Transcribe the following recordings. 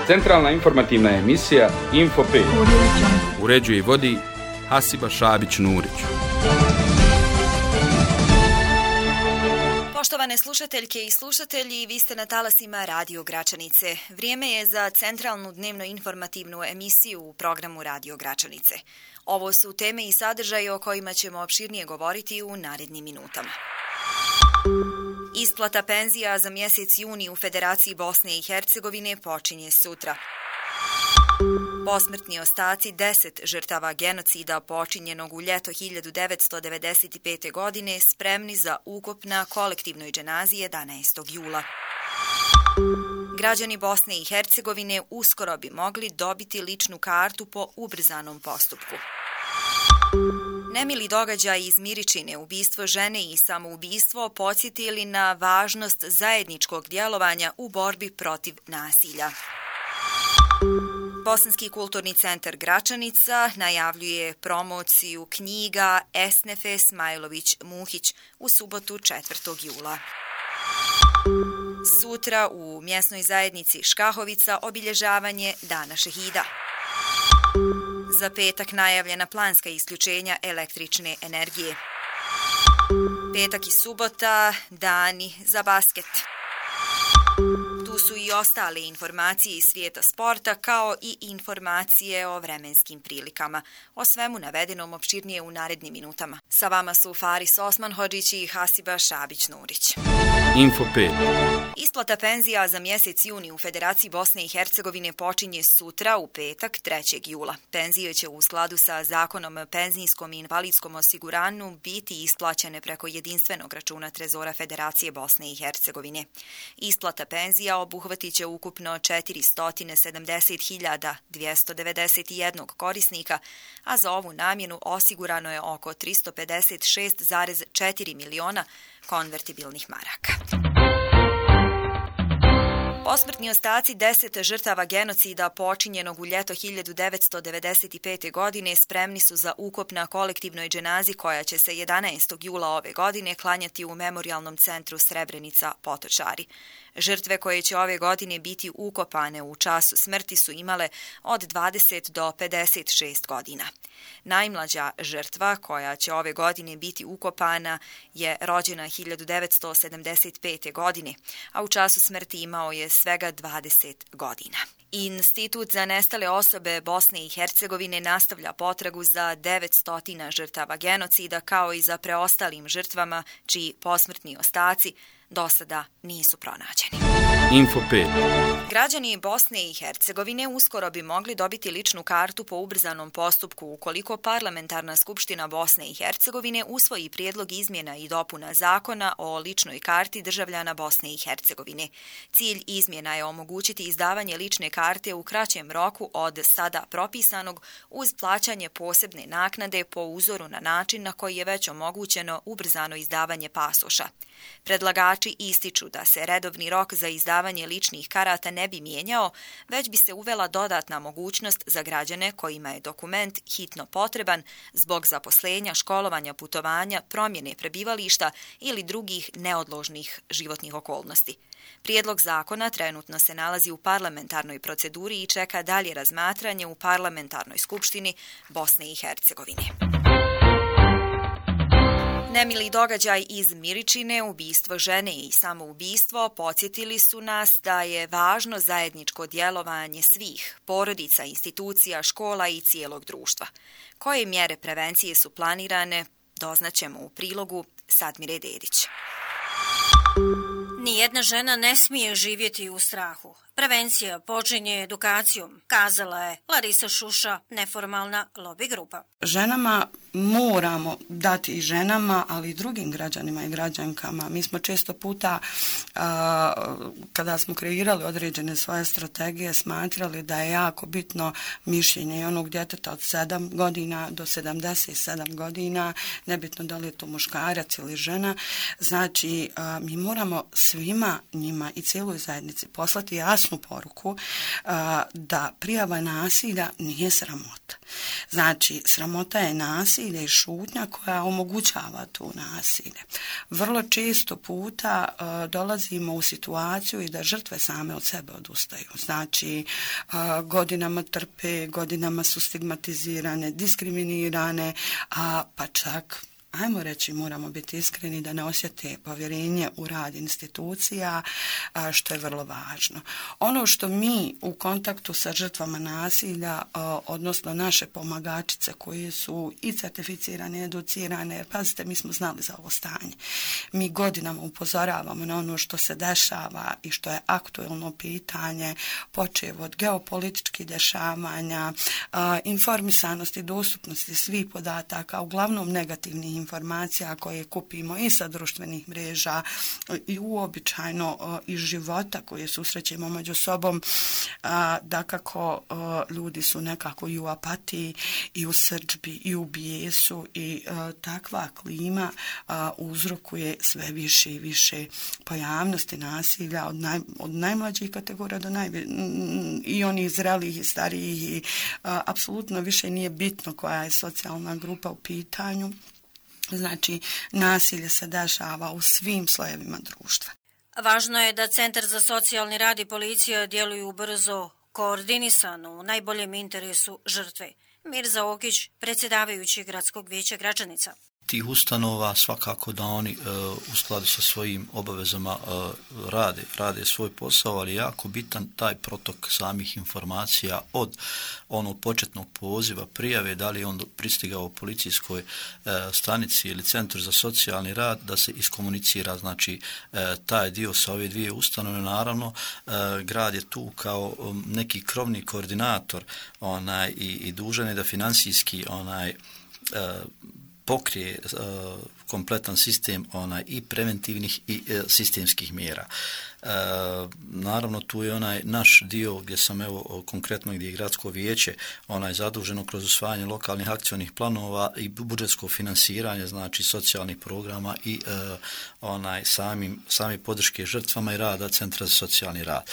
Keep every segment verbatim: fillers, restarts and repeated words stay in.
Centralna informativna emisija Info pet. Uređuje i vodi Hasiba Šabić-Nurić. Poštovane slušateljke i slušatelji, vi ste na talasima Radio Gračanice. Vrijeme je za centralnu dnevno informativnu emisiju u programu Radio Gračanice. Ovo su teme i sadržaje o kojima ćemo opširnije govoriti u narednim minutama. Isplata penzija za mjesec juni u Federaciji Bosne i Hercegovine počinje sutra. Posmrtni ostaci deset žrtava genocida počinjenog u ljeto hiljadu devetsto devedeset pete. godine spremni za ukop na kolektivnoj dženazi jedanaestog jula. Građani Bosne i Hercegovine uskoro bi mogli dobiti ličnu kartu po ubrzanom postupku. Nemili događaj iz Miričine, ubistvo žene i samoubistvo podsjetili na važnost zajedničkog djelovanja u borbi protiv nasilja. Bosanski kulturni centar Gračanica najavljuje promociju knjiga Esnefe Smajlović-Muhić u subotu četvrtog jula. Sutra u mjesnoj zajednici Škahovica obilježavanje Dana šehida. Za petak najavljena planska isključenja električne energije. Petak i subota dani za basket. Tu su i ostale informacije iz svijeta sporta, kao i informacije o vremenskim prilikama. O svemu navedenom opširnije u narednim minutama. Sa vama su Faris Osmanhodžić i Hasiba Šabić-Nurić. Info pet. Isplata penzija za mjesec juni u Federaciji Bosne i Hercegovine počinje sutra u petak trećeg jula. Penzije će u skladu sa zakonom o penzijskom i invalidskom osiguranju biti isplaćene preko jedinstvenog računa Trezora Federacije Bosne i Hercegovine. Isplata penzija obuhvatit će ukupno četiristo sedamdeset hiljada dvjesto devedeset jedan korisnika, a za ovu namjenu osigurano je oko tristo pedeset šest zarez četiri miliona konvertibilnih maraka. Posmrtni ostaci deset žrtava genocida počinjenog u ljeto hiljadu devetsto devedeset pete. godine spremni su za ukop na kolektivnoj dženazi koja će se jedanaestog jula ove godine klanjati u Memorijalnom centru Srebrenica Potočari. Žrtve koje će ove godine biti ukopane u času smrti su imale od dvadeset do pedeset šest godina. Najmlađa žrtva koja će ove godine biti ukopana je rođena hiljadu devetsto sedamdeset pete. godine, a u času smrti imao je svega dvadeset godina. Institut za nestale osobe Bosne i Hercegovine nastavlja potragu za devetsto žrtava genocida, kao i za preostalim žrtvama čiji posmrtni ostaci do sada nisu pronađeni. Info pet. Građani Bosne i Hercegovine uskoro bi mogli dobiti ličnu kartu po ubrzanom postupku ukoliko Parlamentarna skupština Bosne i Hercegovine usvoji prijedlog izmjena i dopuna zakona o ličnoj karti državljana Bosne i Hercegovine. Cilj izmjena je omogućiti izdavanje lične karte u kraćem roku od sada propisanog uz plaćanje posebne naknade po uzoru na način na koji je već omogućeno ubrzano izdavanje pasoša. Predlagači ističu da se redovni rok za izdavanje ličnih karata ne bi mijenjao, već bi se uvela dodatna mogućnost za građane kojima je dokument hitno potreban zbog zaposlenja, školovanja, putovanja, promjene prebivališta ili drugih neodložnih životnih okolnosti. Prijedlog zakona trenutno se nalazi u parlamentarnoj proceduri i čeka dalje razmatranje u Parlamentarnoj skupštini Bosne i Hercegovine. Nemili događaj iz Miričine, ubistvo žene i samoubistvo podsjetili su nas da je važno zajedničko djelovanje svih, porodica, institucija, škola i cijelog društva. Koje mjere prevencije su planirane, doznaćemo u prilogu Sadmire Dedić. Nijedna žena ne smije živjeti u strahu. Prevencija počinje edukacijom, kazala je Larisa Šuša, neformalna lobby grupa. Ženama moramo dati i ženama, ali i drugim građanima i građankama. Mi smo često puta, a, kada smo kreirali određene svoje strategije, smatrali da je jako bitno mišljenje onog djeteta od sedam godina do sedamdeset sedam godina, nebitno da li je to muškarac ili žena. Znači, a, mi moramo svima njima i cijeloj zajednici poslati jasnu poruku a, da prijava nasilja nije sramota. Znači, sramota je nasilje nasilje i šutnja koja omogućava tu nasilje. Vrlo često puta uh, dolazimo u situaciju i da žrtve same od sebe odustaju. Znači, uh, godinama trpe, godinama su stigmatizirane, diskriminirane, a pa čak ajmo reći, moramo biti iskreni da ne osjete povjerenje u rad institucija, što je vrlo važno. Ono što mi u kontaktu sa žrtvama nasilja, odnosno naše pomagačice koje su i certificirane, educirane, jer pazite, mi smo znali za ovo stanje. Mi godinama upozoravamo na ono što se dešava i što je aktuelno pitanje, počev od geopolitičkih dešavanja, informisanosti, dostupnosti svih podataka, uglavnom negativnih informacija koje kupimo i sa društvenih mreža i uobičajeno iz života koje susrećemo među sobom, da kako ljudi su nekako i u apatiji i u srdžbi i u bijesu i takva klima uzrokuje sve više i više pojavnosti nasilja od, naj, od najmlađih kategorija do najvi, i onih zrelih i starijih i apsolutno više nije bitno koja je socijalna grupa u pitanju. Znači, nasilje se dešava u svim slojevima društva. Važno je da Centar za socijalni rad i policija djeluju brzo, koordinisano, u najboljem interesu žrtve. Mirza Okić, predsjedavajući Gradskog vijeća Gračanica. Tih ustanova svakako da oni e, u skladu sa svojim obavezama e, rade, rade svoj posao, ali jako bitan taj protok samih informacija od onog početnog poziva, prijave, da li je on pristigao u policijskoj e, stanici ili centru za socijalni rad, da se iskomunicira, znači e, taj dio sa ove dvije ustanove. Naravno, e, grad je tu kao um, neki krovni koordinator onaj, i, i dužan je da financijski onaj e, pokrije uh, kompletan sistem onaj i preventivnih i uh, sistemskih mjera. Uh, naravno tu je onaj naš dio gdje sam evo konkretno gdje je gradsko vijeće onaj zaduženo kroz usvajanje lokalnih akcionih planova i budžetsko finansiranje, znači socijalnih programa i uh, onaj samim sami podrške žrtvama i rada Centra za socijalni rad.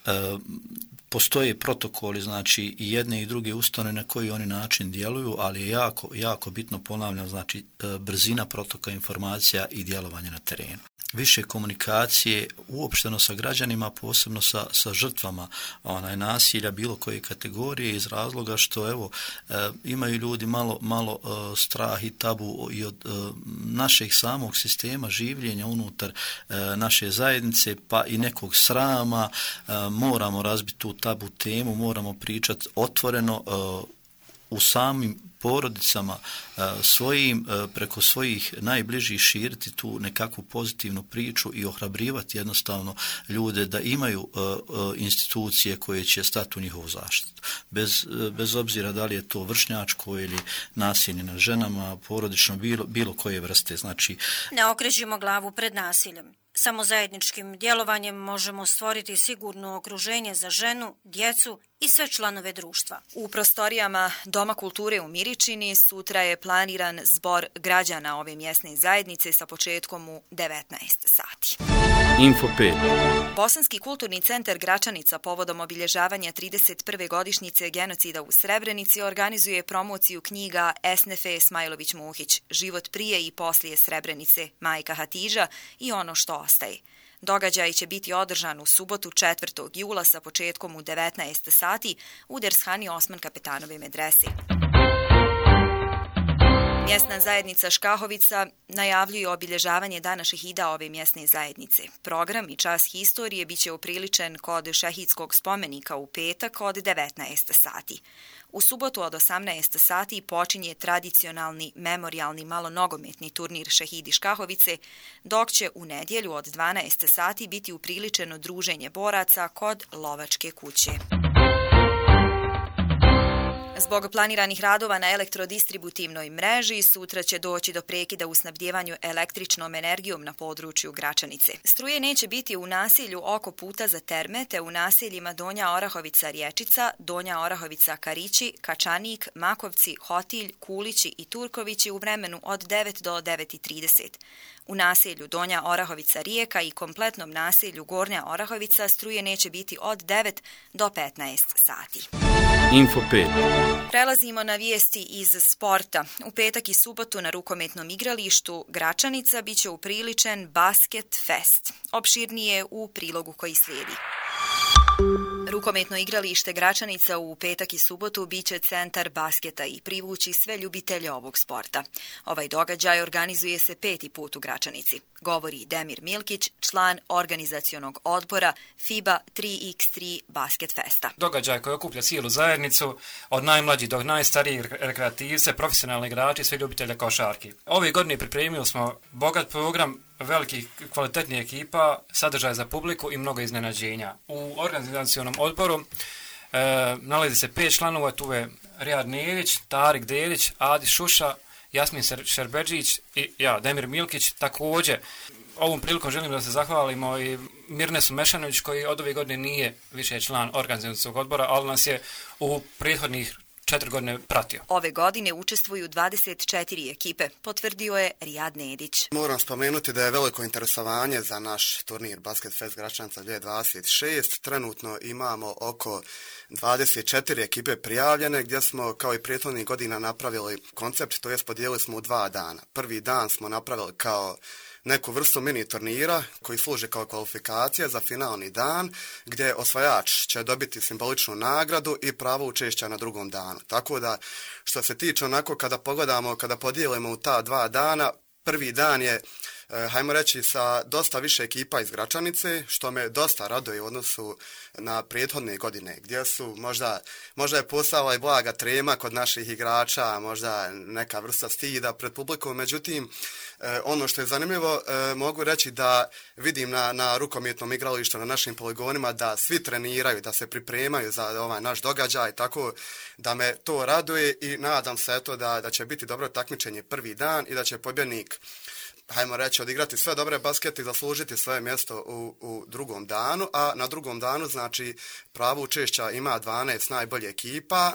Uh, Postoje protokoli, znači i jedne i druge ustanove na koji oni način djeluju, ali je jako, jako bitno, ponavljam, znači brzina protoka informacija i djelovanje na terenu. Više komunikacije uopšteno sa građanima, posebno sa, sa žrtvama onaj, nasilja bilo koje kategorije, iz razloga što evo e, imaju ljudi malo, malo e, strah i tabu i od e, našeg samog sistema življenja unutar e, naše zajednice, pa i nekog srama. E, moramo razbiti tu tabu temu, moramo pričati otvoreno e, u samim porodicama svojim, preko svojih najbližih širiti tu nekakvu pozitivnu priču i ohrabrivati jednostavno ljude da imaju institucije koje će stati u njihovu zaštitu. Bez, bez obzira da li je to vršnjačko ili nasilje nad ženama, porodično, bilo, bilo koje vrste. Znači, ne okrećimo glavu pred nasiljem. Samo zajedničkim djelovanjem možemo stvoriti sigurno okruženje za ženu, djecu i sve članove društva. U prostorijama Doma kulture u Miričini sutra je planiran zbor građana ove mjesne zajednice sa početkom u devetnaest sati. Info pet. Bosanski kulturni centar Gračanica povodom obilježavanja trideset prve godišnjice genocida u Srebrenici organizuje promociju knjiga Esnefe Smajlović-Muhić, Život prije i poslije Srebrenice, Majka Hatidža i ono što ostaje. Događaj će biti održan u subotu četvrtog jula sa početkom u devetnaest sati u Dershani Osman Kapetanove medrese. Mjesna zajednica Škahovica najavljuje obilježavanje dana šehida ove mjesne zajednice. Program i čas historije biće upriličen kod šehidskog spomenika u petak od devetnaest sati. U subotu od osamnaest sati počinje tradicionalni memorijalni malonogometni turnir Šehidi Škahovice, dok će u nedjelju od dvanaest sati biti upriličeno druženje boraca kod lovačke kuće. Zbog planiranih radova na elektrodistributivnoj mreži sutra će doći do prekida u snabdjevanju električnom energijom na području Gračanice. Struje neće biti u naselju oko puta za terme te u naseljima Donja Orahovica-Rječica, Donja Orahovica-Karići, Kačanik, Makovci, Hotilj, Kulići i Turkovići u vremenu od devet do devet i trideset. U naselju Donja Orahovica Rijeka i kompletnom naselju Gornja Orahovica struje neće biti od devet do petnaest sati. Info pet. Prelazimo na vijesti iz sporta. U petak i subotu na rukometnom igralištu Gračanica biće upriličen Basket Fest. Opširnije u prilogu koji slijedi. Rukometno igralište Gračanica u petak i subotu biće centar basketa i privući sve ljubitelje ovog sporta. Ovaj događaj organizuje se peti put u Gračanici, govori Demir Milkić, član organizacionog odbora FIBA tri iks tri Basket Festa. Događaj koji okuplja cijelu zajednicu, od najmlađih do najstarijih rekreativce, profesionalni igrači i sve ljubitelje košarki. Ove godine pripremili smo bogat program velikih kvalitetnih ekipa, sadržaja za publiku i mnogo iznenađenja. U organizacionom odboru e, nalazi se pet članova, tu je Rijad Nedić, Tarik Dedić, Adi Šuša, Jasmin Šerbeđić i ja, Demir Milkić. Također, ovom prilikom želim da se zahvalimo i Mirnesu Mešanović koji od ove godine nije više član organizacionog odbora, ali nas je u prethodnih četiri godine pratio. Ove godine učestvuju dvadeset četiri ekipe, potvrdio je Rijad Nedić. Moram spomenuti da je veliko interesovanje za naš turnir Basket Fest Gračanica dvije tisuće dvadeset šest. Trenutno imamo oko dvadeset četiri ekipe prijavljene, gdje smo kao i prethodnih godina napravili koncept, to jest podijelili smo u dva dana. Prvi dan smo napravili kao neku vrstu mini turnira koji služi kao kvalifikacija za finalni dan, gdje osvajač će dobiti simboličnu nagradu i pravo učešća na drugom danu. Tako da, što se tiče onako kada pogledamo, kada podijelimo u ta dva dana, prvi dan je, hajmo reći, sa dosta više ekipa iz Gračanice, što me dosta raduje u odnosu na prethodne godine, gdje su možda, možda je postala i blaga trema kod naših igrača, možda neka vrsta stida pred publikom, međutim, ono što je zanimljivo, mogu reći da vidim na, na rukometnom igralištu, na našim poligonima, da svi treniraju, da se pripremaju za ovaj naš događaj, tako da me to raduje i nadam se eto da, da će biti dobro takmičenje prvi dan i da će pobjednik, hajmo reći, odigrati sve dobre baskete i zaslužiti svoje mjesto u, u drugom danu, a na drugom danu, znači, pravo učešća ima dvanaest najbolje ekipa,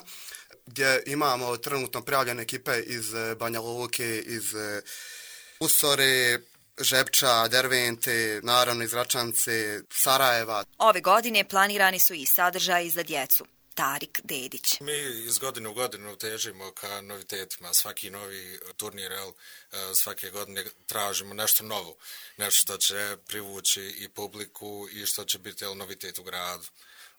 gdje imamo trenutno prijavljene ekipe iz Banja Luke, iz Usore, Žepča, Dervente, naravno iz Gračanice, Sarajeva. Ove godine planirani su i sadržaji za djecu. Tarik Dedić. Mi iz godine u godinu težimo ka novitetima. Svaki novi turnir, svake godine tražimo nešto novo. Nešto što će privući i publiku i što će biti novitet u gradu.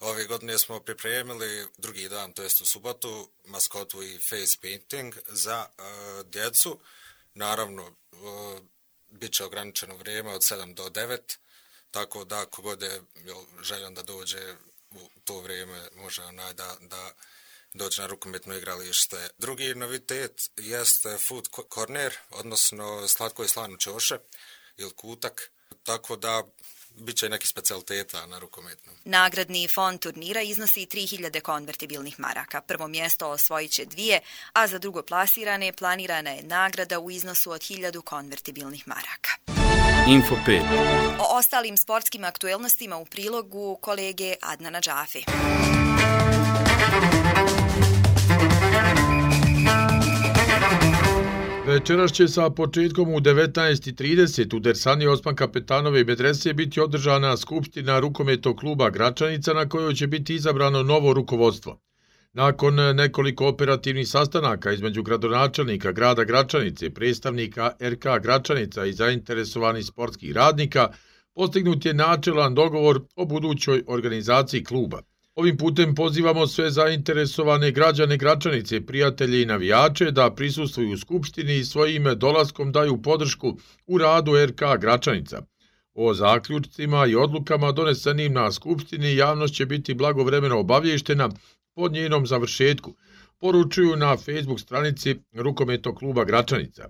Ove godine smo pripremili drugi dan, to jest u subotu, maskotu i face painting za uh, djecu. Naravno, uh, bit će ograničeno vrijeme od sedam do devet, tako da kogod je željan da dođe u to vrijeme može onaj da, da dođe na rukometno igralište. Drugi novitet jeste food corner, odnosno slatko i slano čoše ili kutak, tako da bit će neki specijaliteta na rukometnom. Nagradni fond turnira iznosi tri hiljade konvertibilnih maraka. Prvo mjesto osvojit će dvije, a za drugo plasirane planirana je nagrada u iznosu od hiljadu konvertibilnih maraka. Info pet. O ostalim sportskim aktuelnostima u prilogu kolege Adnana Džafe. Večeras će sa početkom u devetnaest i trideset u Dersani Osman Kapetanove medrese biti održana skupština rukometnog kluba Gračanica na kojoj će biti izabrano novo rukovodstvo. Nakon nekoliko operativnih sastanaka između gradonačelnika grada Gračanice, predstavnika er ka Gračanica i zainteresovanih sportskih radnika, postignut je načelan dogovor o budućoj organizaciji kluba. Ovim putem pozivamo sve zainteresovane građane Gračanice, prijatelje i navijače da prisustvuju u skupštini i svojim dolaskom daju podršku u radu er ka Gračanica. O zaključcima i odlukama donesenim na skupštini javnost će biti blagovremeno obavještena po njenom završetku, poručuju na Facebook stranici rukometnog kluba Gračanica.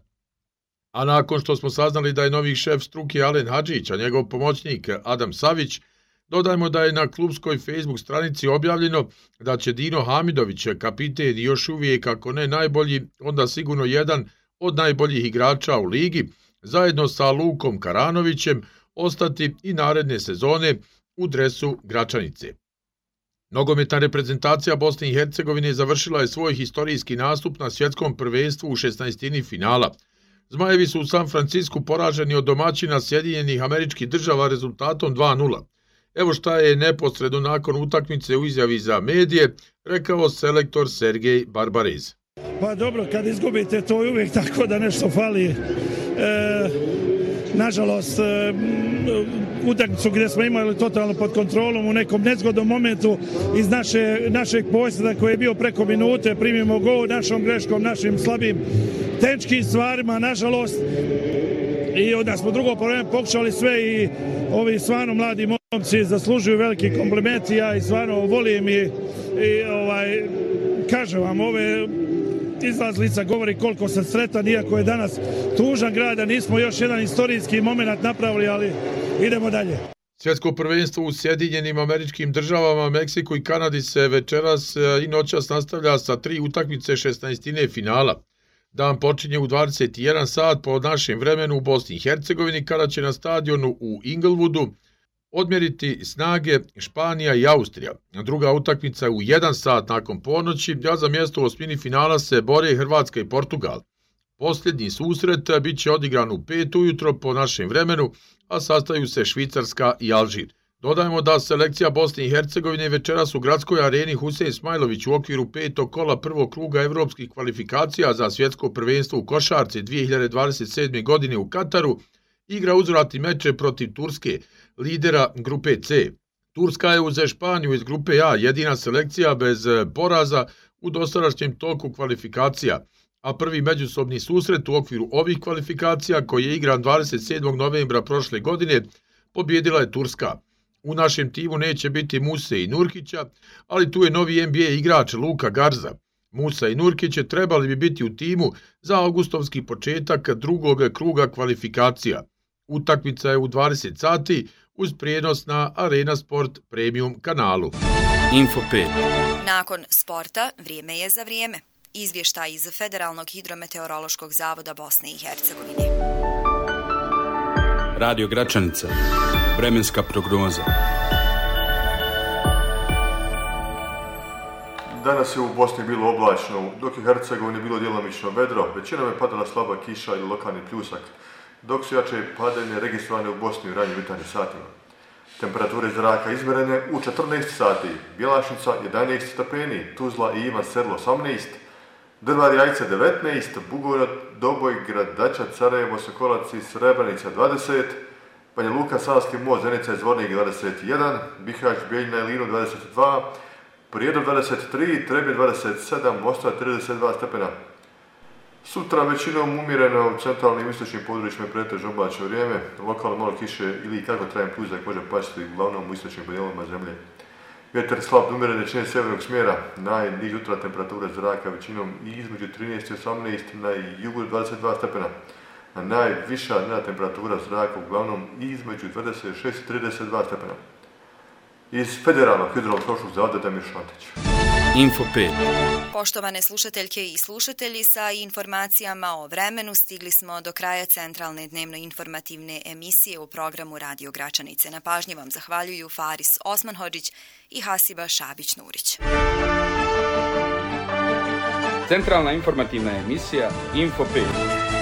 A nakon što smo saznali da je novi šef struke Alen Hadžić, a njegov pomoćnik Adam Savić, dodajmo da je na klubskoj Facebook stranici objavljeno da će Dino Hamidović, kapiten i još uvijek, ako ne najbolji, onda sigurno jedan od najboljih igrača u ligi, zajedno sa Lukom Karanovićem, ostati i naredne sezone u dresu Gračanice. Nogometna reprezentacija Bosne i Hercegovine završila je svoj historijski nastup na svjetskom prvenstvu u šesnaestini finala. Zmajevi su u San Francisku poraženi od domaćina Sjedinjenih Američkih Država rezultatom dva nula. Evo šta je neposredno nakon utakmice u izjavi za medije rekao selektor Sergej Barbarez. Pa dobro, kad izgubite to je uvijek tako da nešto fali. E, nažalost, e, utakmicu gdje smo imali totalno pod kontrolom u nekom nezgodnom momentu iz naše, našeg posjeda koji je bio preko minute, primimo gol našom greškom, našim slabim tehničkim stvarima, nažalost. I onda smo drugo probleme pokušali sve i ovi stvarno mladi momci zaslužuju veliki kompliment i ja i stvarno volim i, i ovaj, kažem vam, ove izlazlica govori koliko sam sretan, iako je danas tužan grad, da nismo još jedan istorijski moment napravili, ali idemo dalje. Svjetsko prvenstvo u Sjedinjenim Američkim Državama, Meksiku i Kanadi se večeras i noćas nastavlja sa tri utakmice šesnaestine finala. Dan počinje u dvadeset jedan sat po našem vremenu u Bosni i Hercegovini, kada će na stadionu u Inglewoodu odmjeriti snage Španija i Austrija. Druga utakmica je u jedan sat nakon ponoći, a za mjesto u osmini finala se bore Hrvatska i Portugal. Posljednji susret bit će odigran u pet ujutro po našem vremenu, a sastaju se Švicarska i Alžir. Dodajemo da selekcija Bosne i Hercegovine večeras u gradskoj areni Husein Smajlović u okviru petog kola prvog kruga evropskih kvalifikacija za svjetsko prvenstvo u košarci dvije hiljade dvadeset sedme. godine u Kataru igra uzvratni meče protiv Turske, lidera grupe C. Turska je uz Španiju iz grupe A jedina selekcija bez poraza u dosadašnjem toku kvalifikacija, a prvi međusobni susret u okviru ovih kvalifikacija, koji je igran dvadeset sedmog novembra prošle godine, pobjedila je Turska. U našem timu neće biti Muse i Nurkića, ali tu je novi N B A igrač Luka Garza. Musa i Nurkić trebali bi biti u timu za augustovski početak drugog kruga kvalifikacija. Utakmica je u dvadeset sati uz prijenos na Arena Sport Premium kanalu. Info pet. Nakon sporta, vrijeme je za vrijeme. Izvještaj iz Federalnog hidrometeorološkog zavoda Bosne i Hercegovine. Radio Gračanica. Vremenska prognoza. Danas je u Bosni bilo oblačno, dok je u Hercegovini bilo djelomično vedro, većinom je padala slaba kiša ili lokalni pljusak, dok su jače padanje registrovane u Bosni u ranjim jutarnjim satima. Temperature zraka izmjerene u četrnaest sati, Bjelašnica jedanaest stepeni, Tuzla i Ivan Sedlo osamnaest, Drvar Jajce devetnaest, Bugojno, Doboj, Gradača, Sarajevo, Sokolac i Srebrenica dvadeset, Banja Luka, Savski most, Zenica i Zvornik dvadeset jedan, Bihać, Bijeljina i Linu dvadeset dva, Prijedor dvadeset tri, Trebje dvadeset sedam, Mostar trideset dva stepena. Sutra većinom umjereno u centralnim i istočnim područjima pretežno oblačno vrijeme, lokalno malo kiše ili kako trajan pljusak može pasti uglavnom u istočnim podijelovima zemlje. Vjetar slab do umjerene većine sjevernog smjera, najniža jutra temperatura zraka većinom i između trinaest i osamnaest, na jugu dvadeset dva stepena, a najviša dnevna temperatura zraka uglavnom između dvadeset šest i trideset dva stepena. Iz Federalnog hidrometeorološkog zavoda Damir Šantić. Info pet. Poštovane slušateljke i slušatelji, sa informacijama o vremenu stigli smo do kraja centralne dnevno-informativne emisije u programu Radio Gračanice. Na pažnji vam zahvaljuju Faris Osmanhodžić i Hasiba Šabić-Nurić. Centralna informativna emisija Info pet.